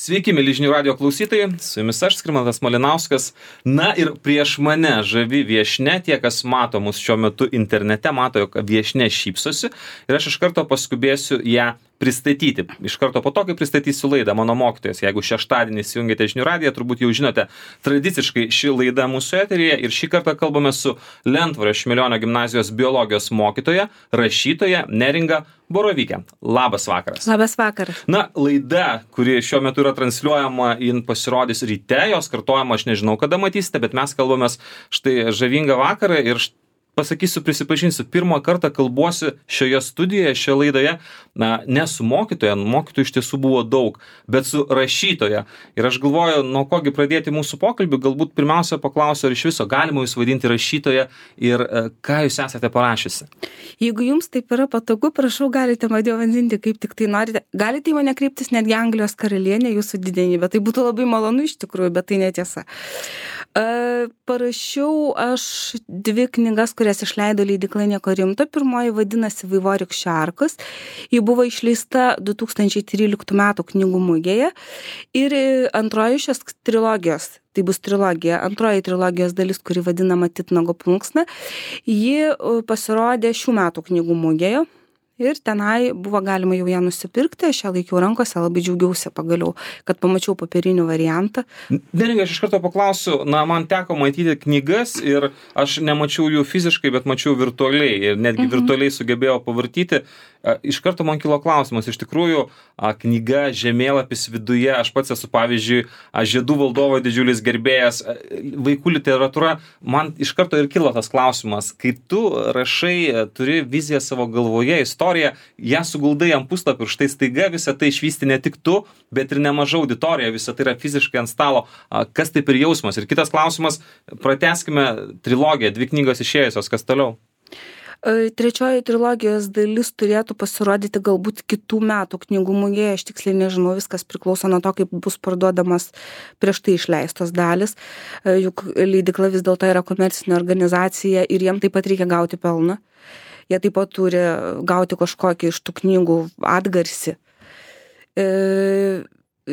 Sveiki, mėly žinių radijo klausytojai, su jumis aš, Skirmantas Malinauskas. Na ir prieš mane žavi viešnia, tie, kas mato mus šiuo metu internete, mato, jog viešnia šypsosi ir aš iš karto paskubėsiu ją pristatyti. Iš karto po to, kai pristatysiu laidą Mano mokytojas. Jeigu šeštadienį įsijungėte žinių radiją, turbūt jau žinote, tradiciškai ši laida mūsų eteryje ir šį kartą kalbame su Lentvario Šimilionio gimnazijos biologijos mokytoja, rašytoja Neringa Borovyke. Labas vakaras. Labas vakaras. Na, laida, kuri šiuo metu yra transliuojama, jin pasirodys ryte, jos kartojama aš nežinau, kada matysite, bet mes kalbamės štai žavingą vakarą ir pasakysiu, prisipažinsiu, pirmą kartą kalbuosi šioje studijoje, šioje laidoje, ne su mokytoja, mokytojų iš tiesų buvo daug, bet su rašytoja. Ir aš galvoju, nuo kogi pradėti mūsų pokalbį, galbūt pirmiausia paklausiu, ar iš viso galima jūs vadinti rašytoja ir ką jūs esate parašiusi. Jeigu jums taip yra patogu, prašau, galite mane vadinti kaip tik tai norite. Galite į mane kreiptis netgi Anglijos karalienė, jūsų didenybė. Tai būtų labai malonu iš tikrųjų, bet tai netiesa. Parašiau aš 2 knygas, kurias išleido leidykla Nieko rimto. Pirmoji vadinasi Vaivorykščių šarkos. Ji buvo išleista 2013 metų knygų mugėje. Ir antroji šios trilogijos, tai bus trilogija, antroji trilogijos dalis, kuri vadinama Titnago plunksna, ji pasirodė šių metų knygų mugėje. Ir tenai buvo galima jau ją nusipirkti, aš ją laikiau rankose, labai džiaugiausi pagaliau, kad pamačiau papirinį variantą. Neringa, aš iš karto paklausiu, man teko matyti knygas ir aš nemačiau jų fiziškai, bet mačiau virtualiai ir netgi virtualiai sugebėjau pavartyti. Iš karto man kilo klausimas, iš tikrųjų, knyga, žemėlapis viduje, aš pats esu, pavyzdžiui, Žiedų valdovo didžiulis gerbėjas, vaikų literatūra, man iš karto ir kilo tas klausimas, kai tu rašai, turi viziją savo galvoje, istoriją, ją suguldai ant puslapio ir štai staiga visą tai išvysti ne tik tu, bet ir nemaža auditorija, visą tai yra fiziškai ant stalo, kas tai per jausmas. Ir kitas klausimas, pratęskime trilogiją, 2 knygos išėjusios, kas toliau? Trečioji trilogijos dalis turėtų pasirodyti galbūt kitų metų knygų mugėje, aš tiksliai nežinau, viskas priklauso nuo to, kaip bus parduodamas prieš tai išleistos dalis, juk leidykla vis dėlto yra komercinė organizacija ir jiem taip pat reikia gauti pelną, jie taip pat turi gauti kažkokį iš tų knygų atgarsį.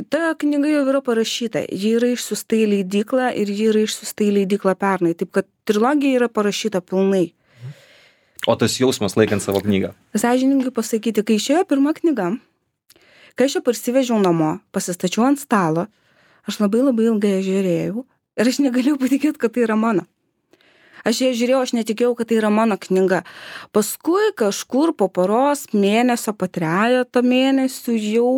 Ta knyga jau yra parašyta, ji yra išsiųsta į leidyklą ir ji yra išsiųsta į leidyklą pernai, taip kad trilogija yra parašyta pilnai. O tas jausmas laikant savo knygą? Sąžiningai pasakyti, kai išėjo pirma knyga, kai aš ją parsivežiau namo, pasistačiau ant stalo, aš labai ilgai žiūrėjau ir aš negalėjau patikėti, kad tai yra mano. Aš ją žiūrėjau, aš netikėjau, kad tai yra mano knyga. Paskui kažkur po poros mėnesio, po 3 mėnesių jau,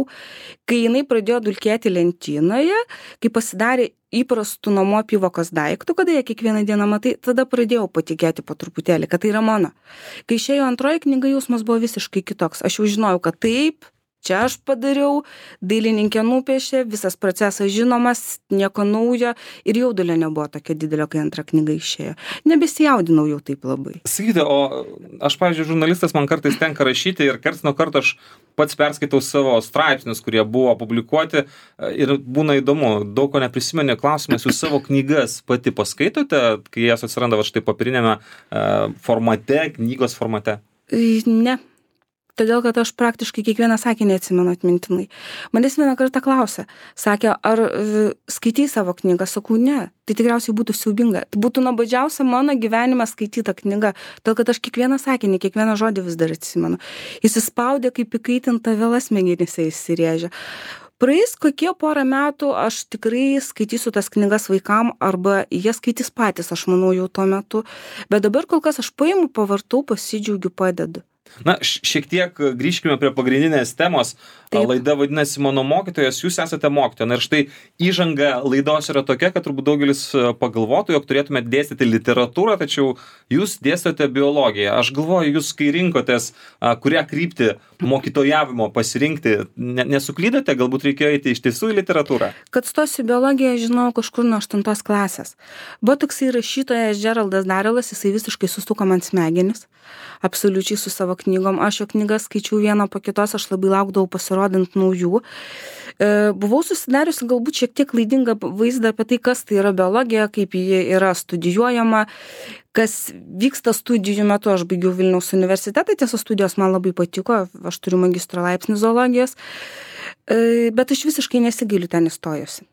kai jinai pradėjo dulkėti lentynoje, kai pasidarė įprastų namų apyvokos daiktų, kada jie kiekvieną dieną matai, tada pradėjau patikėti po truputėlį, kad tai yra mano. Kai išėjo antroji knyga, jausmas buvo visiškai kitoks. Aš jau žinojau, kad taip, čia aš padariau, dailininkė nupiešė, visas procesas žinomas, nieko naujo ir jaudulio nebuvo tokia didelio, kai antra knyga išėjo. Nebesijaudinau jau taip labai. Sakykite, o aš, pavyzdžiui, žurnalistas, man kartais tenka rašyti ir karts nuo karto aš pats perskaitau savo straipsnius, kurie buvo publikuoti ir būna įdomu, daug ko neprisimeni, klausimas, jūs savo knygas pati paskaitote, kai jas atsiranda va štai papirinėme formate, knygos formate? Ne. Todėl, kad aš praktiškai kiekvieną sakinį atsimenu atmintinai. Manęs vieną kartą klausė, sakė, ar skaitai savo knygą? Sakau, ne, tai tikriausiai būtų siaubinga. Tai būtų nuobodžiausia mano gyvenime skaityta knyga, todėl, kad aš kiekvieną sakinį, kiekvieną žodį vis dar atsimenu. Įsispaudė kaip įkaitinta vėla smegenyse įsirėžė. Praeis kokie 1 metų, aš tikrai skaitysiu tas knygas vaikam arba jie skaitys patys, aš manau jau tuo metu. Bet dabar kol kas aš paimu, pavartau, pasidžiaugiu, padedu. Na, šiek tiek grįžkime prie pagrindinės temos. Taip. Laida vadinasi Mano mokytojas, jūs esate mokytoja. Na ir štai įžanga laidos yra tokia, kad turbūt daugelis pagalvotų, jog turėtumėte dėstyti literatūrą, tačiau jūs dėstote biologiją. Aš galvoju, jūs kai rinkotės, kurią kryptį mokytojavimo pasirinkti, nesuklydote, galbūt reikėjo eiti iš tiesų į literatūrą? Kad stosiu biologiją, žinau kažkur nuo 8 klasės. Buvo toksai rašytojas Geraldas Darrelas, jisai visiškai sustuko man smegenis, absoliučiai su savo knygom. Aš jo knygas skaičiau vieną po kitos, aš labai laukdavau pasirodant naujų. Buvau susidariusi galbūt šiek tiek klaidingą vaizdą apie tai, kas tai yra biologija, kaip ji yra studijuojama, kas vyksta studijų metu. Aš baigiau Vilniaus universitetą, tiesa studijos man labai patiko, aš turiu magistro laipsnį zoologijos. Bet aš visiškai nesigiliu ten įstojusi.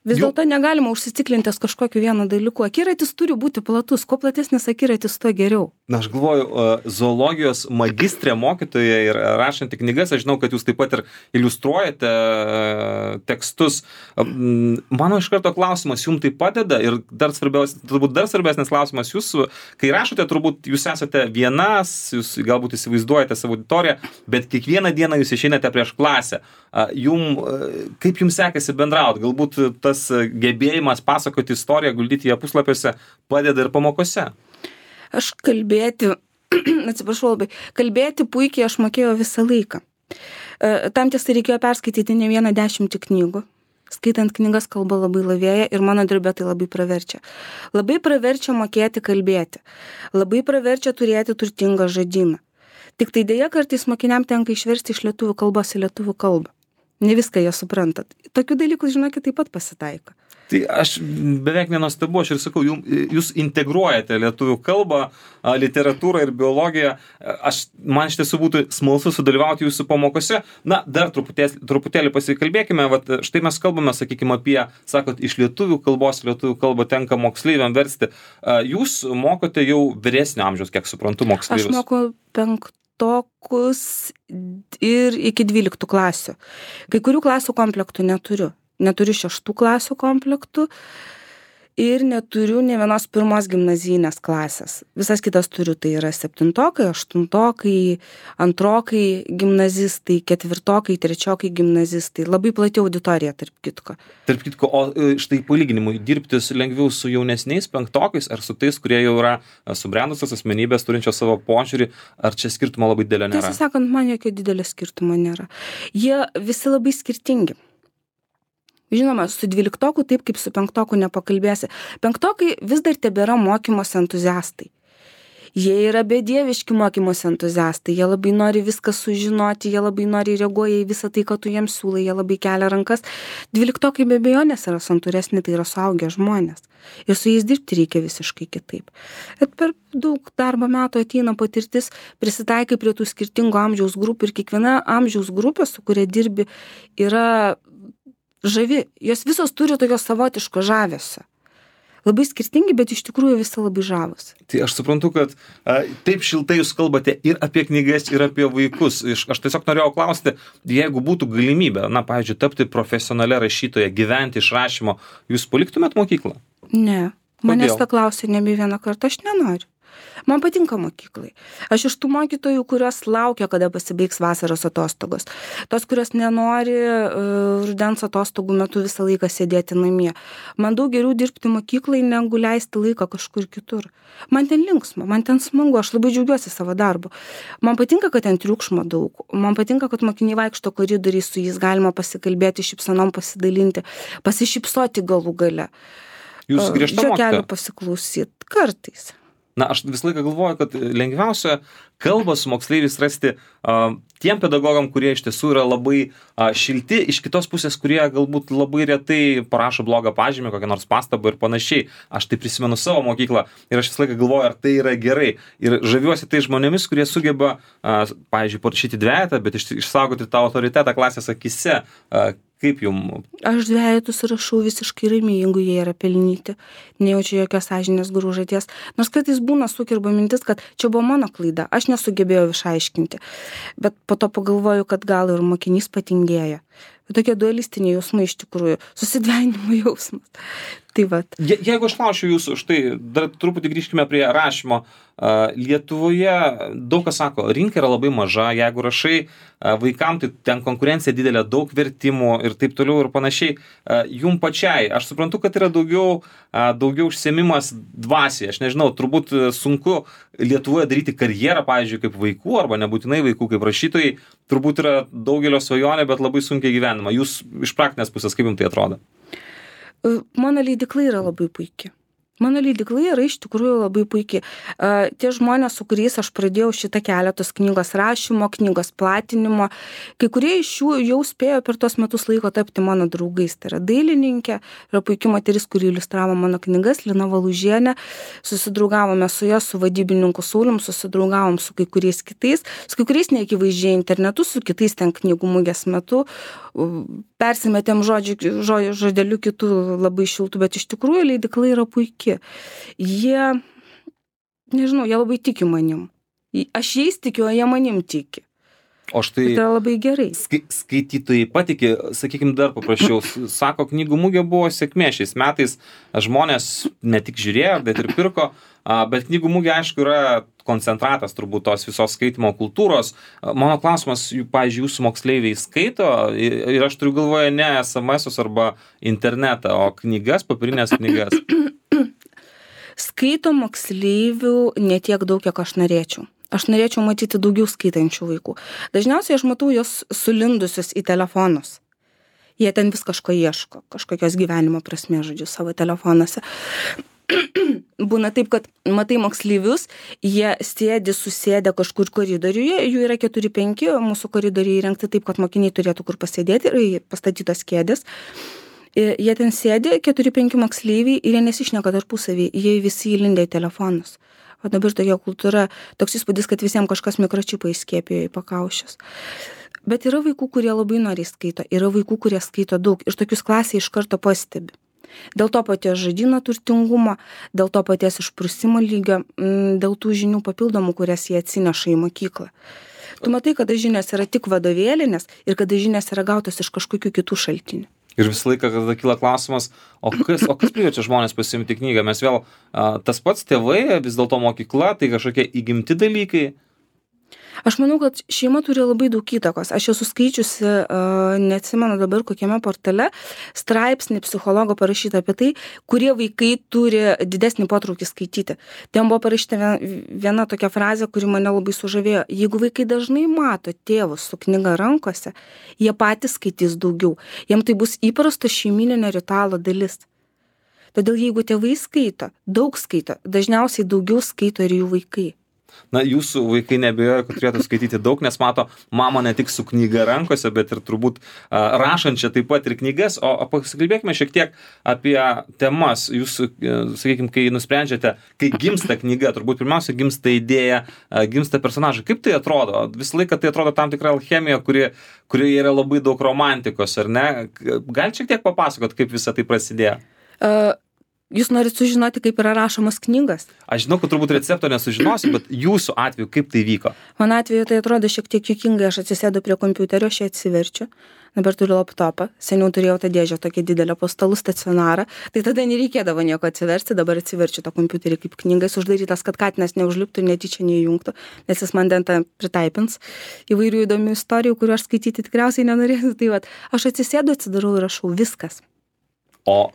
Vis dėlto negalima užsiciklintis kažkokiu vienu dalyku. Akiratis turi būti platus. Kuo platesnis akiratis, tuo geriau. Na, aš galvoju, zoologijos magistrė mokytoja ir rašanti knygas, aš žinau, kad jūs taip pat ir iliustruojate tekstus. Mano iš karto klausimas, jums tai padeda ir turbūt dar svarbesnis klausimas, jūs, kai rašote, turbūt jūs esate vienas, jūs galbūt įsivaizduojate savo auditoriją, bet kiekvieną dieną jūs išeinate prieš klasę. Kaip jums sekasi bendrauti? Galbūt tas gebėjimas pasakoti istoriją, guldyti ją puslapiuose padeda ir pamokose? Aš kalbėti puikiai aš mokėjau visą laiką. Tam tiesa reikėjo perskaityti ne vieną 10 knygų. Skaitant knygas kalba labai lavėja ir mano darbė tai labai praverčia. Labai praverčia mokėti kalbėti. Labai praverčia turėti turtingą žodyną. Tik tai dėja kartais mokiniam tenka išversti iš lietuvių kalbos į lietuvių kalbą. Ne viską jie suprantat. Tokių dalykų, žinokit, taip pat pasitaiko. Tai aš beveik nenuostabu, aš ir sakau, jūs integruojate lietuvių kalbą, literatūrą ir biologiją. Man iš tiesų būtų smalsu sudalyvauti jūsų pamokose. Na, dar truputėlį pasikalbėkime. Vat, štai mes kalbame, sakykime, apie, sakot, iš lietuvių kalbos, lietuvių kalbą tenka moksleiviam versti. Jūs mokote jau vyresnio amžiaus, kiek suprantu, moksleivius. Aš moku 5 ir iki 12 klasių. Kai kurių klasių komplektų neturiu. Neturiu 6 klasių komplektų ir neturiu ne vienos 1 gimnazijinės klasės. Visas kitas turiu, tai yra 7-okai, 8-okai, 2-okai gimnazistai, 4-okai, 3-okai gimnazistai. Labai plati auditorija, tarp kitko. Tarp kitko, o štai palyginimui, dirbtis lengviau su jaunesniais 5-okais ar su tais, kurie jau yra subrendusios asmenybės, turinčios savo požiūrį, ar čia skirtumo labai didelio nėra? Tiesą sakant, man jokio didelio skirtumo nėra. Jie visi labai skirtingi. Žinoma, su 12-oku taip kaip su 5-oku nepakalbėsi. 5-okai vis dar tebėra mokymosi entuziastai. Jie yra bedieviški mokymosi entuziastai, jie labai nori viską sužinoti, jie labai nori reaguoja į visą tai, ką tu jiems siūlai, jie labai kelia rankas. 12-okai be abejonės yra santūresni, tai yra suaugę žmonės. Ir su jais dirbti reikia visiškai kitaip. Bet per daug darbo metų ateina patirtis, prisitaikai prie tų skirtingų amžiaus grupių ir kiekviena amžiaus grupė, su kuria dirbi, yra žavi. Jos visos turi tokio savotiško žavesio. Labai skirtingi, bet iš tikrųjų visi labai žavus. Tai aš suprantu, kad taip šiltai jūs kalbate ir apie knygas, ir apie vaikus. Aš tiesiog norėjau klausti, jeigu būtų galimybė, na, pavyzdžiui, tapti profesionalia rašytoja, gyventi iš rašymo, jūs paliktumėt mokyklą? Ne. Manęs tą klausė nebe vieną kartą, aš nenoriu. Man patinka mokyklai. Aš iš tų mokytojų, kurios laukia, kada pasibaigs vasaros atostogos. Tos, kurios nenori rudens atostogų metu visą laiką sėdėti namie. Man daug geriau dirbti mokyklai, negu leisti laiką kažkur kitur. Man ten linksma, man ten smagu, aš labai džiaugiuosi savo darbu. Man patinka, kad ten triukšmo daug. Man patinka, kad mokiniai vaikšto koridoriais, su jais galima pasikalbėti, šypsenom pasidalinti, pasišypsoti galų gale. Jūs griežta mokytoja? Žiokelių pasiklausyti kartais. Na, aš visą laiką galvoju, kad lengviausia kalbą su moksleiviais rasti tiem pedagogam, kurie iš tiesų yra labai šilti, iš kitos pusės, kurie galbūt labai retai parašo blogą pažymį, kokią nors pastabą ir panašiai. Aš tai prisimenu savo mokyklą ir aš visą laiką galvoju, ar tai yra gerai. Ir žaviuosi tai žmonėmis, kurie sugeba, pavyzdžiui, parašyti dvejetą, bet išsaugoti tą autoritetą klasės akise. Kaip jum? Aš dvejetus rašau visiškai ramiai, jeigu jie yra pelnyti. Nejaučiu jokios sąžinės grūžaties. Nors kartais būna sukirba mintis, kad čia buvo mano klaida. Aš nesugebėjau išaiškinti. Bet po to pagalvoju, kad gal ir mokinys patingėjo. Bet tokie dualistiniai jausmai iš tikrųjų. Susidvejinimo jausmas. Tai vat. Jeigu aš klausiu jūsų, štai dar truputį grįžkime prie rašymo. Lietuvoje daug kas sako, rinka yra labai maža, jeigu rašai vaikam, tai ten konkurencija didelė, daug vertimų ir taip toliau ir panašiai. Jum pačiai, aš suprantu, kad yra daugiau užsiėmimas dvasiai. Aš nežinau, turbūt sunku Lietuvoje daryti karjerą, pavyzdžiui, kaip vaikų, arba nebūtinai vaikų kaip rašytojai. Turbūt yra daugelio svajonė, bet labai sunkiai gyvenama. Jūs iš praktinės pusės, kaip jums tai atrodo? Mano leidykla yra labai puikia. Mano leidykla yra iš tikrųjų labai puikiai. Tie žmonės, su kuriais aš pradėjau šitą kelią, tos knygos rašymo, knygos platinimo, kai kurie iš jų jau spėjo per tos metus laiko tapti mano draugais. Tai yra dailininkė, yra puikia moteris, kuri iliustravo mano knygas, Lina Valužienė. Susidraugavome su ja, su vadybininku Saulium, susidraugavom su kai kuriais kitais, su kai kuriais neakivaizdžiai internetu, su kitais ten knygų mugės metu. Persimetėm žodeliu kitų labai šiltų, bet iš tikrųjų leidykla yra puikia. Jie, nežinau, jie labai tiki manim. Aš jais tikiu, o jie manim tiki. O štai tai yra labai gerai. Skaitytojai patiki, sakykime, dar paprasčiau, sako, knygų mugė buvo sėkmė šiais metais, žmonės ne tik žiūrėjo, bet ir pirko, bet knygų mugė, aišku, yra koncentratas turbūt tos visos skaitimo kultūros. Mano klausimas, pavyzdžiui, jūsų moksleiviai skaito ir aš turiu galvoje ne SMS-us arba internetą, o knygas, papirinės knygas. Skaito moksleivių ne tiek daug, kiek aš norėčiau. Aš norėčiau matyti daugiau skaitančių vaikų. Dažniausiai aš matau jos sulindusius į telefonus. Jie ten vis kažko ieško, kažkokios gyvenimo prasmės, žodžiu, savo telefonuose. Būna taip, kad matai moksleivius, jie susėdę kažkur koridoriuje, jų yra 4-5, mūsų koridoriai įrengti taip, kad mokiniai turėtų kur pasėdėti ir pastatytos kėdės. Jie ten sėdi, 4-5 moksleiviai ir jie nesišneka tarpusavį, jie visi įlindę į telefonus. O dabar tokia kultūra, toks įspūdis, kad visiems kažkas mikročipą įskiepijo į pakaušius. Bet yra vaikų, kurie labai noriai skaito, yra vaikų, kurie skaito daug ir tokius klasėje iš karto pastebi. Dėl to paties žodyno turtingumo, dėl to paties išprusimo lygio, dėl tų žinių papildomų, kurias jie atsineša į mokyklą. Tu matai, kada žinios yra tik vadovėlinės ir kada žinios yra gautos iš kažkokių kitų šaltinių. Ir visą laiką, kada kyla klausimas, o kas priverčia žmonės pasiimti knygą? Mes vėl, tas pats tėvai, vis dėlto mokykla, tai kažkokie įgimti dalykai. Aš manau, kad šeima turi labai daug įtakos. Aš esu skaičiusi, neatsimenu dabar kokiame portale, straipsnį psichologo parašyta apie tai, kurie vaikai turi didesnį potraukį skaityti. Ten buvo parašyta viena tokia frazė, kuri mane labai sužavėjo. Jeigu vaikai dažnai mato tėvus su knyga rankose, jie patys skaitys daugiau. Jiem tai bus įprasto šeimyninio ritualo dalis. Todėl jeigu tėvai skaito, daug skaito, dažniausiai daugiau skaito ir jų vaikai. Na, jūsų vaikai neabejoja, kad turėtų skaityti daug, nes mato mamą ne tik su knyga rankose, bet ir turbūt rašančią taip pat ir knygas. O pasikalbėkime šiek tiek apie temas. Jūs, sakykime, kai nusprendžiate, kai gimsta knyga, turbūt pirmiausia gimsta idėja, gimsta personažai. Kaip tai atrodo? Visą laiką tai atrodo tam tikra alchemija, kuri yra labai daug romantikos, ar ne? Gal šiek tiek papasakot, kaip visa tai prasidėjo? Jūs norit sužinoti, kaip yra rašomas knygas? Aš žinau, kad turbūt recepto nesužinosiu, bet jūsų atveju kaip tai vyko? Mano atveju tai atrodo šiek tiek juokingai. Aš atsisėdu prie kompiuterio, aš ją atsiverčiu. Dabar turiu laptopą. Seniau turėjau tą dėžę tokią didelę po stalu stacionarą. Tai tada nereikėdavo nieko atsiversti. Dabar atsiverčiu tą kompiuterį kaip knygas uždarytas, kad katinas neužliptų ir netyčia neįjungtų, nes jis man ten pritaipins įvairių įdomių istorijų, kurių aš skaityti tikriausiai nenorėsiu. Tai vat, aš atsisėdu, atsidarau ir rašau viskas. O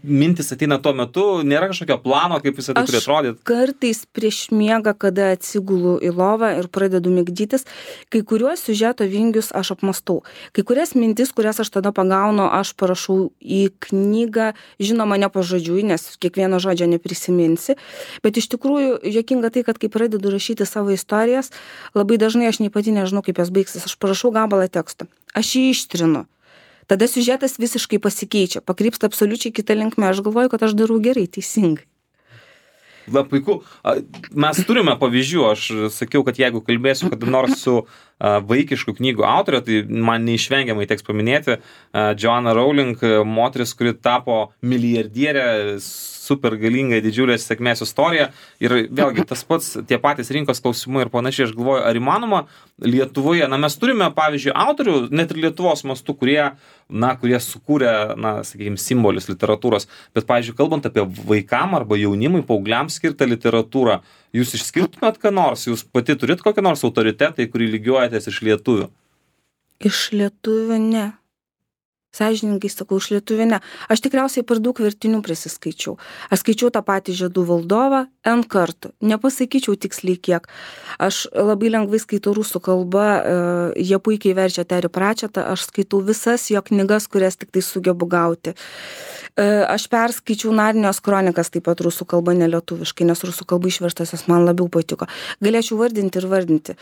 mintis ateina tuo metu, nėra kažkokio plano, kaip visą tai turi atrodyti? Aš kartais prieš miegą, kada atsigulu į lovą ir pradedu migdytis, kai kuriuos siužeto vingius aš apmastau. Kai kurias mintis, kurias aš tada pagaunu, aš parašau į knygą, žinoma, ne pažodžiui, nes kiekvieno žodžio neprisiminsi. Bet iš tikrųjų, juokinga tai, kad kai pradedu rašyti savo istorijas, labai dažnai aš nei pati nežinau, kaip jos baigsis. Aš parašau gabalą teksto. Aš jį ištrinu. Tada siužetas visiškai pasikeičia, pakrypsta absoliučiai kitą linkmę. Aš galvoju, kad aš darau gerai, teisingai. La, puiku. Mes turime pavyzdžių. Aš sakiau, kad jeigu kalbėsiu kada nors su vaikiškų knygų autorė, tai man neišvengiamai teks paminėti Joanna Rowling, moteris, kuri tapo milijardierė, super galinga, didžiulės sėkmės istorija. Ir vėlgi tas pats, tie patys rinkos klausimai ir panašiai, aš galvoju, ar įmanoma Lietuvoje, mes turime, pavyzdžiui, autorių, net ir Lietuvos mastu, kurie sukūrė, sakykime, simbolius literatūros, bet, pavyzdžiui, kalbant apie vaikam arba jaunimui, paaugliams skirtą literatūrą, jūs išskirtumėt ką nors, jūs pati turit kokią nors autoritetą, į kurį lygiuojatės iš lietuvių? Iš lietuvių ne. sąžiningai sakau, iš lietuvių ne. Aš tikriausiai per daug vertinių prisiskaičiau. Aš skaičiau tą patį Žiedų valdovą N kartų. Nepasakyčiau tiksliai kiek. Aš labai lengvai skaitau rusų kalbą, jie puikiai verčia Terry Pratchettą, aš skaitau visas jo knygas, kurias tik tai sugebu gauti. Aš perskaičiau Narnijos kronikas taip pat rusų kalba, ne lietuviškai, nes rusų kalba išverstas jos man labiau patiko. Galėčiau vardinti ir vardinti.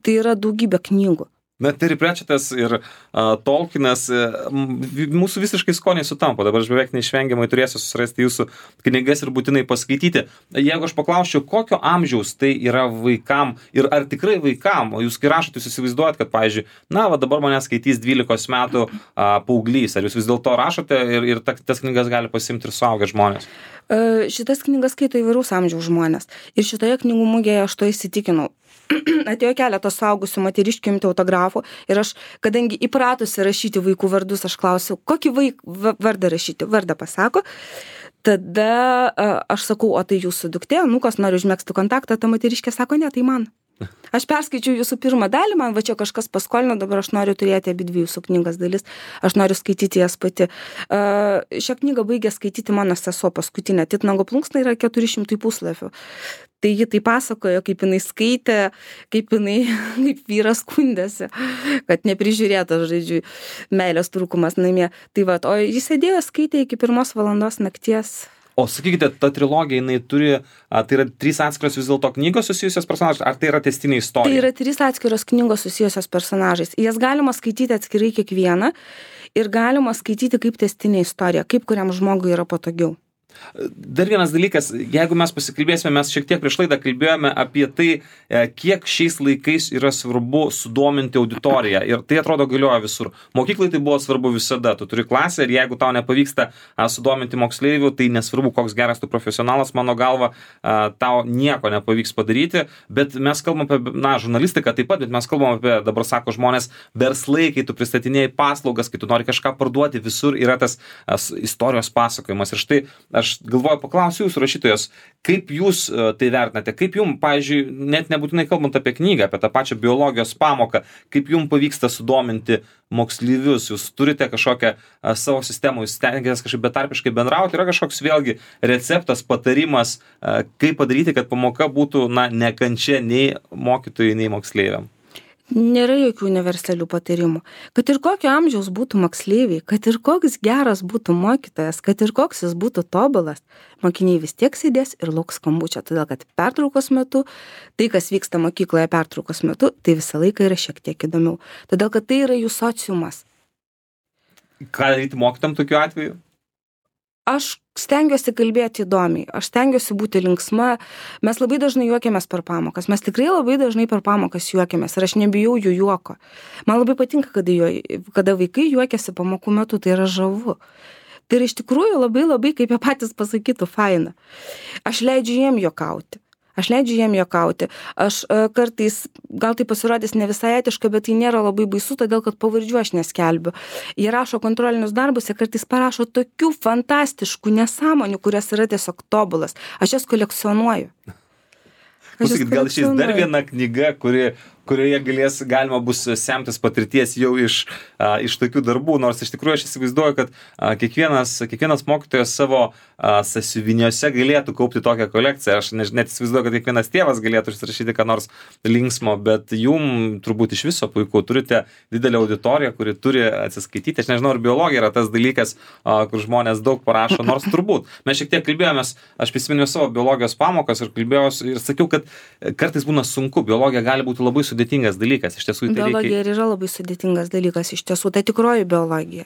Tai yra daugybė knygų. Na, Terry Pratchettas ir Tolkienas, mūsų visiškai skoniai sutampa. Dabar aš beveik neišvengiamai turėsiu susirasti jūsų knygas ir būtinai paskaityti. Jeigu aš paklausčiau, kokio amžiaus tai yra vaikam ir ar tikrai vaikam, o jūs kai rašot, jūs įsivaizduojat, kad, pavyzdžiui, na, va dabar mane skaitys 12 metų paauglys. Ar jūs vis dėlto rašote ir tas knygas gali pasimti ir suaugę žmonės? Šitas knygas skaito įvairaus amžiaus žmonės. Ir šitoje knygų mugėje aš to įsitikinau. Atėjo keletas suaugusių moteriškių imti autografų ir aš, kadangi įpratusi rašyti vaikų vardus, aš klausiau, kokį vardą rašyti. Vardą pasako. Tada aš sakau, o tai jūsų duktė, kas nori užmegzti kontaktą, ta moteriškė sako, ne, tai man. Aš perskaičiau jūsų pirmą dalį, man va čia kažkas paskolino, dabar aš noriu turėti abidvi jūsų knygas dalis, aš noriu skaityti jas pati. Šią knygą baigė skaityti mano sesuo paskutinė, Titnago plunksna yra 400 puslapių. Tai ji tai pasakojo, kaip jinai skaitė, kaip vyras skundėsi, kad neprižiūrėta, žodžiu, meilės trūkumas namie. Tai va, o jis sėdėjo skaitė iki 1 valandos nakties. O sakykite, ta trilogija, jinai turi, tai yra 3 atskiros vis dėlto knygos susijusios personažai, ar tai yra tęstinė istorija? Tai yra 3 atskiros knygos susijusios personažais. Jas galima skaityti atskirai kiekvieną ir galima skaityti kaip tęstinė istorija, kaip kuriam žmogui yra patogiau. Dar vienas dalykas, jeigu mes pasikalbėsime, mes šiek tiek prieš laidą kalbėjome apie tai, kiek šiais laikais yra svarbu sudominti auditoriją ir tai atrodo galioja visur. Mokyklai tai buvo svarbu visada, tu turi klasę ir jeigu tau nepavyksta sudominti moksleivių, tai nesvarbu, koks geras tu profesionalas, mano galva, tau nieko nepavyks padaryti, bet mes kalbam apie, žurnalistiką taip pat, bet mes kalbam apie, dabar sako žmonės, verslai, kai tu pristatinėjai paslaugas, kai tu nori kažką parduoti, visur yra tas istorijos pasakojimas ir štai aš galvoju, paklausiu jūsų rašytojos, kaip jūs tai vertinate, kaip jums, pavyzdžiui, net nebūtinai kalbant apie knygą, apie tą pačią biologijos pamoką, kaip jums pavyksta sudominti moksleivius, jūs turite kažkokią savo sistemą, jūs stengiatės kažkaip betarpiškai bendrauti, yra kažkoks vėlgi receptas, patarimas, kaip padaryti, kad pamoka būtų, nekančia nei mokytojai, nei moksleiviam. Nėra jokių universalių patarimų. Kad ir kokio amžiaus būtų moksleiviai, kad ir koks geras būtų mokytojas, kad ir koks jis būtų tobulas, mokiniai vis tiek sėdės ir lauks skambučio, todėl kad pertraukos metu, tai kas vyksta mokykloje pertraukos metu, tai visą laiką yra šiek tiek įdomiau. Todėl kad tai yra jų sociumas. Ką daryti mokytam tokiu atveju? Aš stengiuosi kalbėti įdomiai, aš stengiuosi būti linksma, mes labai dažnai juokiamės per pamokas, mes tikrai labai dažnai per pamokas juokiamės ir aš nebijau jų juoko. Man labai patinka, kada vaikai juokiasi pamokų metu, tai yra žavu. Tai yra iš tikrųjų labai, kaip jie patys pasakytų, faina. Aš leidžiu jiem juokauti. Aš kartais, gal tai pasirodys ne visai etiška, bet tai nėra labai baisu, todėl kad pavardžių aš neskelbiu. Jie rašo kontrolinius darbus, jie kartais parašo tokių fantastiškų nesąmonių, kurios yra tiesiog tobulas. Aš jas kolekcionuoju. Pasakyti, gal šis dar viena knyga, kurioje galima bus semtis patirties jau iš tokių darbų, nors iš tikrųjų aš įsivaizduoju, kad kiekvienas mokytojas savo sąsiuviniuose galėtų kaupti tokią kolekciją. Aš net įsivaizduoju, kad kiekvienas tėvas galėtų užsirašyti ką nors linksmo, bet jum turbūt iš viso puiku, turite didelę auditoriją, kuri turi atsiskaityti. Aš nežinau, ar biologija yra tas dalykas, kur žmonės daug parašo, nors turbūt. Mes šiek tiek kalbėjomės, aš prisiminiau savo biologijos pamokas ir kalbėjau ir sakiau, kad kartais būna sunku, biologija gali būti labai sudėtingas dalykas. Iš tiesų, biologija yra labai sudėtingas dalykas, iš tiesų, tai tikroji biologija.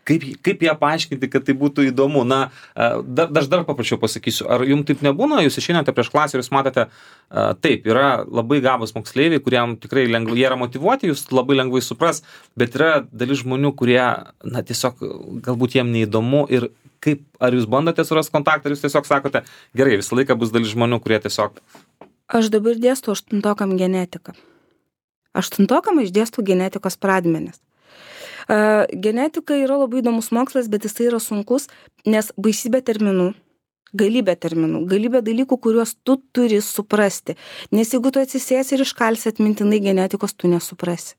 Kaip ją paaiškinti, kad tai būtų įdomu? Aš dar paprašiau pasakysiu, ar jums taip nebūna, jūs išeinate prieš klasę ir jūs matote, taip, yra labai gabūs moksleiviai, kuriem tikrai lengvai, jie yra motyvuoti, jūs labai lengvai supras, bet yra dalis žmonių, kurie, tiesiog galbūt jiem neįdomu ir ar jūs bandote surasti kontaktą, ar jūs tiesiog sakote, gerai, visą laiką bus dalis žmonių, kurie tiesiog... Aš dabar dėstu 8-okam genetiką. 8-okam aš dėstu genetikos pradmenis. Genetika yra labai įdomus mokslas, bet jisai yra sunkus, nes baisybė terminų, galybė dalykų, kuriuos tu turi suprasti. Nes jeigu tu atsisėsi ir iškalsi atmintinai genetikos, tu nesuprasi.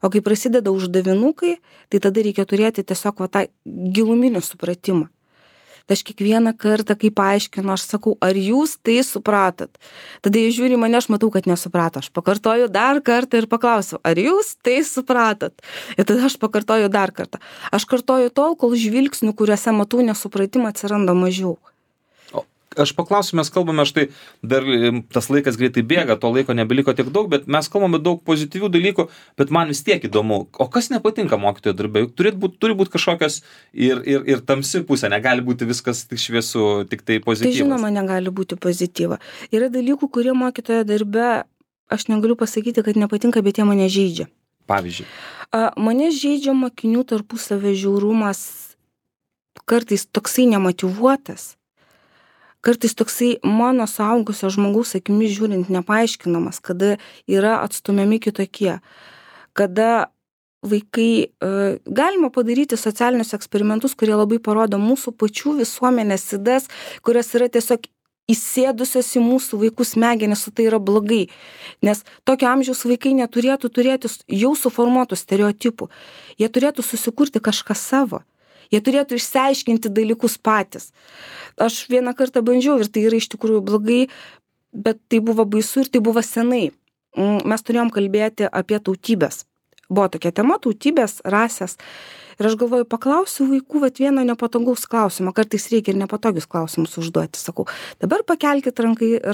O kai prasideda uždavinukai, tai tada reikia turėti tiesiog tą giluminį supratimą. Tai aš kiekvieną kartą, kai paaiškinu, aš sakau, ar jūs tai supratot? Tada jie žiūri mane, aš matau, kad nesuprato. Aš pakartoju dar kartą ir paklausiu, ar jūs tai supratot? Ir tada aš pakartoju dar kartą. Aš kartoju tol, kol žvilgsnių, kuriuose matau nesupratimą, atsiranda mažiau. Aš paklausiu, mes kalbame, štai dar tas laikas greitai bėga, to laiko nebeliko tiek daug, bet mes kalbame daug pozityvių dalykų, bet man vis tiek įdomu, o kas nepatinka mokytojo darbe? Juk turi būti kažkokios ir tamsi pusė, negali būti viskas tik šviesu, tik tai pozityvas. Tai žinoma, negali būti pozityva. Yra dalykų, kurie mokytojo darbe, aš negaliu pasakyti, kad nepatinka, bet jie mane žeidžia. Pavyzdžiui. Mane žeidžia mokinių tarpusavio žiaurumas, kartais toksai nemotyvuotas. Kartais toksai mano suaugusio žmogaus akimis žiūrint nepaaiškinamas, kada yra atstumiami kitokie, kada vaikai, galima padaryti socialinius eksperimentus, kurie labai parodo mūsų pačių visuomenės ydas, kurios yra tiesiog įsėdusios į mūsų vaikų smegenis, o tai yra blogai. Nes tokio amžiaus vaikai neturėtų turėti jau suformuotų stereotipų. Jie turėtų susikurti kažką savo. Jie turėtų išsiaiškinti dalykus patys. Aš vieną kartą bandžiau ir tai yra iš tikrųjų blogai, bet tai buvo baisu ir tai buvo senai. Mes turėjom kalbėti apie tautybės. Buvo tokia tema - tautybės, rasės. Ir aš galvoju, paklausiu vaikų, bet vieno nepatogaus klausimo. Kartais reikia ir nepatogius klausimus užduoti. Sakau, dabar pakelkit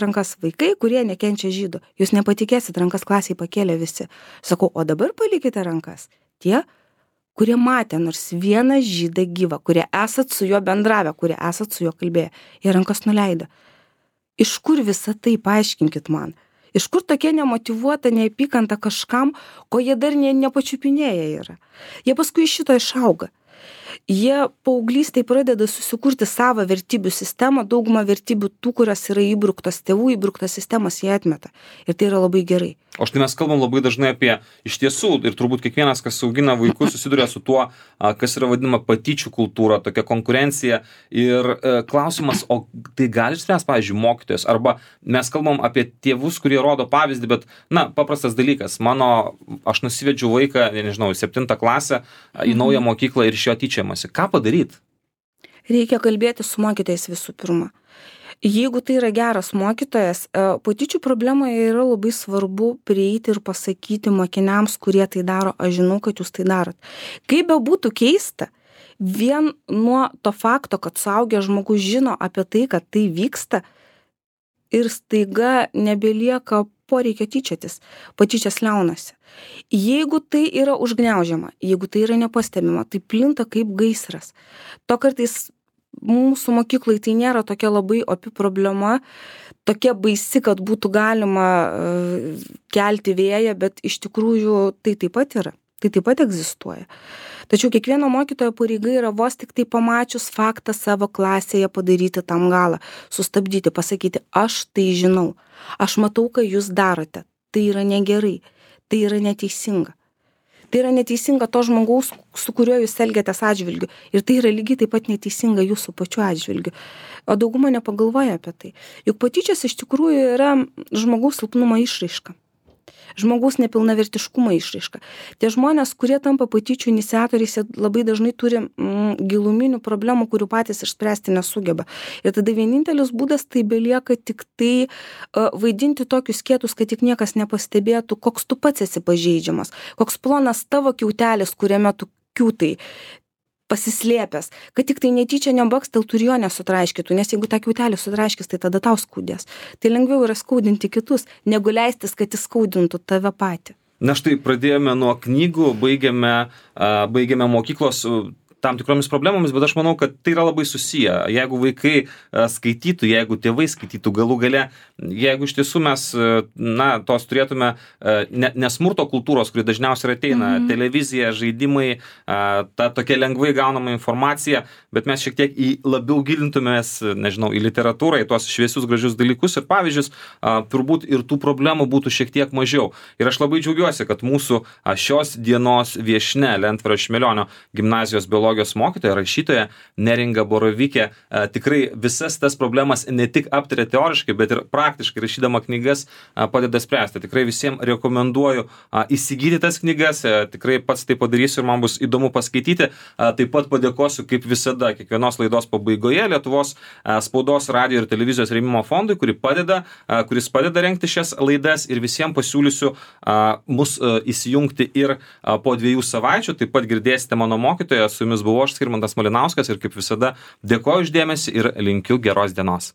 rankas vaikai, kurie nekenčia žydų. Jūs nepatikėsit, rankas klasiai pakėlė visi. Sakau, o dabar palikite rankas. Tie, kurie matė nors vieną žydą gyvą, kurie esat su juo bendravę, kurie esat su juo kalbėję. Jie rankas nuleido. Iš kur visą tai, paaiškinkit man? Iš kur tokia nemotyvuota neapykanta kažkam, ko jie dar nepačiupinėję yra? Jie paskui iš šito išauga. Jie paauglystėj pradeda susikurti savo vertybių sistemą, daugumą vertybių tų, kurios yra įbruktos tėvų, įbruktos sistemos jie atmeta. Ir tai yra labai gerai. O štai mes kalbam labai dažnai apie iš tiesų, ir turbūt kiekvienas, kas augina vaikus, susiduria su tuo, kas yra vadinama patyčių kultūra, tokia konkurencija. Ir klausimas, o tai gali spręsti, pavyzdžiui, mokytojas? Arba mes kalbam apie tėvus, kurie rodo pavyzdį, bet, paprastas dalykas. Aš nusivedžiau vaiką, nežinau, 7 klasę į naują mokyklą ir iš jo tyčiamasi. Ką padaryti? Reikia kalbėti su mokytojais visų pirma. Jeigu tai yra geras mokytojas, patyčių problemoje yra labai svarbu prieiti ir pasakyti mokiniams, kurie tai daro, aš žinau, kad jūs tai darot. Kaip bebūtų keista, vien nuo to fakto, kad suaugęs žmogus žino apie tai, kad tai vyksta ir staiga nebelieka poreikio tyčiotis, patyčias liaunasi. Jeigu tai yra užgniaužiama, jeigu tai yra nepastebima, tai plinta kaip gaisras. To kartais mūsų mokyklai tai nėra tokia labai opi problema, tokia baisi, kad būtų galima kelti vėją, bet iš tikrųjų tai taip pat yra, tai taip pat egzistuoja. Tačiau kiekvieno mokytojo pareiga yra vos tik tai pamačius faktą savo klasėje padaryti tam galą, sustabdyti, pasakyti, aš tai žinau, aš matau, ką jūs darote, tai yra negerai, tai yra neteisinga. Tai yra neteisinga to žmogaus, su kuriuo jūs elgiatės atžvilgiu. Ir tai yra lygiai taip pat neteisinga jūsų pačiu atžvilgiu. O dauguma nepagalvoja apie tai. Juk patyčios iš tikrųjų yra žmogaus silpnumo išraiška. Žmogaus nepilnavertiškumo išraiška. Tie žmonės, kurie tampa patyčių iniciatoriais, labai dažnai turi giluminių problemų, kurių patys išspręsti nesugeba. Ir tada vienintelis būdas tai belieka tik tai vaidinti tokius kietus, kad tik niekas nepastebėtų, koks tu pats esi pažeidžiamas, koks plonas tavo kiautelis, kuriame tu kiūtai pasislėpęs, kad tik tai netyčia nebaksteltų ir jo nesutraiškytų, nes jeigu tą kiautelį sutraiškys, tai tada tau skaudės. Tai lengviau yra skaudinti kitus, negu leistis, kad jis skaudintų tave patį. Na štai pradėjome nuo knygų, baigėme mokyklos tam tikromis problemomis, bet aš manau, kad tai yra labai susiję. Jeigu vaikai skaitytų, jeigu tėvai skaitytų galų gale, jeigu iš tiesų mes, tos turėtume nesmurto kultūros, kuri dažniausiai ateina, televizija, žaidimai, ta tokia lengvai gaunama informacija, bet mes šiek tiek labiau gilintumės, nežinau, į literatūrą, į tuos šviesius, gražius dalykus ir pavyzdžius, turbūt ir tų problemų būtų šiek tiek mažiau. Ir aš labai džiaugiuosi, kad mūsų šios dienos viešnia Lentvaro Šmelionio gimnazijos biologijos psichologijos mokytoja, rašytoja Neringa Borovikė tikrai visas tas problemas ne tik aptarė teoriškai, bet ir praktiškai rašydama knygas padeda spręsti. Tikrai visiems rekomenduoju įsigyti tas knygas, tikrai pats tai padarysiu ir man bus įdomu paskaityti. Taip pat padėkosiu kaip visada kiekvienos laidos pabaigoje Lietuvos spaudos, radijo ir televizijos rėmimo fondui, kuris padeda rengti šias laidas, ir visiems pasiūlysiu mus įsijungti ir po 2 savaičių. Taip pat girdėsite mano mokytoją, su jumis buvau aš, Skirmantas Malinauskas, ir kaip visada dėkoju už dėmesį ir linkiu geros dienos.